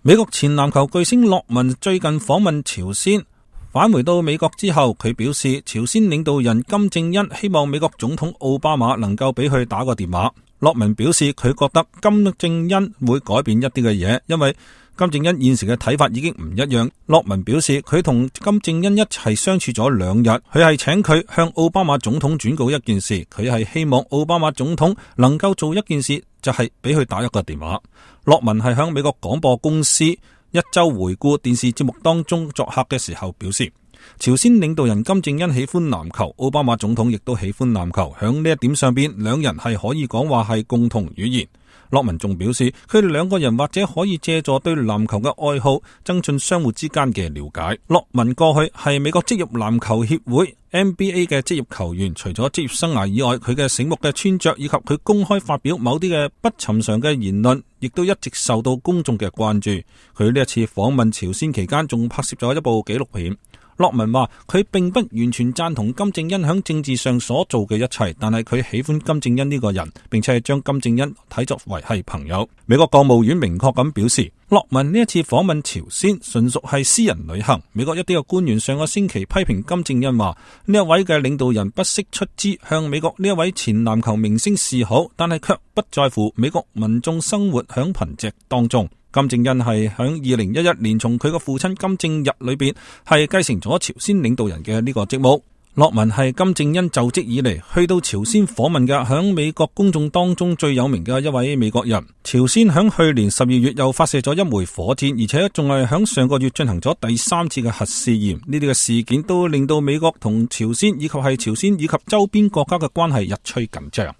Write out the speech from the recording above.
美國前籃球巨星洛文最近訪問朝鮮，返回到美國之後，佢表示朝鮮領導人金正恩希望美國總統奧巴馬能夠俾佢打個電話。洛文表示佢覺得金正恩會改變一啲嘅嘢，因為金正恩現時嘅睇法已經唔一樣。洛文表示佢同金正恩一齊相處咗2日，佢係請佢向奧巴馬總統轉告一件事，佢係希望奧巴馬總統能夠做一件事，就係俾佢打一個電話。洛文係響美國廣播公司一周回顧電視節目當中作客嘅時候表示，朝鮮領導人金正恩喜歡籃球，奧巴馬總統亦都喜歡籃球，響呢一點上邊兩人係可以講話係共同語言。洛文仲表示佢哋兩個人或者可以借助對籃球嘅愛好增進相互之間嘅了解。洛文過去係美國職業籃球協會 NBA 嘅職業球員，除咗職業生涯以外，佢嘅醒目嘅穿着以及佢公開發表某啲嘅不尋常嘅言論亦都一直受到公眾嘅關注。佢呢一次訪問朝鮮期間仲拍攝咗一部紀錄片。洛文話佢並不完全贊同金正恩響政治上所做嘅一切，但係佢喜歡金正恩呢個人，並且係將金正恩睇作為係朋友。美國國務院明確咁表示，洛文呢一次訪問朝鮮純屬係私人旅行。美國一啲嘅官員上個星期批評金正恩話，呢一位嘅領導人不惜出資向美國呢一位前籃球明星示好，但係卻不在乎美國民眾生活響貧瘠當中。金正恩係響2011年從佢個父親金正日裏邊係繼承咗朝鮮領導人嘅呢個職務。洛文係金正恩就職以嚟去到朝鮮訪問嘅響美國公眾當中最有名嘅一位美國人。朝鮮響去年12月又發射咗一枚火箭，而且仲係響上個月進行咗第3次嘅核試驗。呢啲嘅事件都令到美國同朝鮮以及係朝鮮以及周邊國家嘅關係日趨緊張。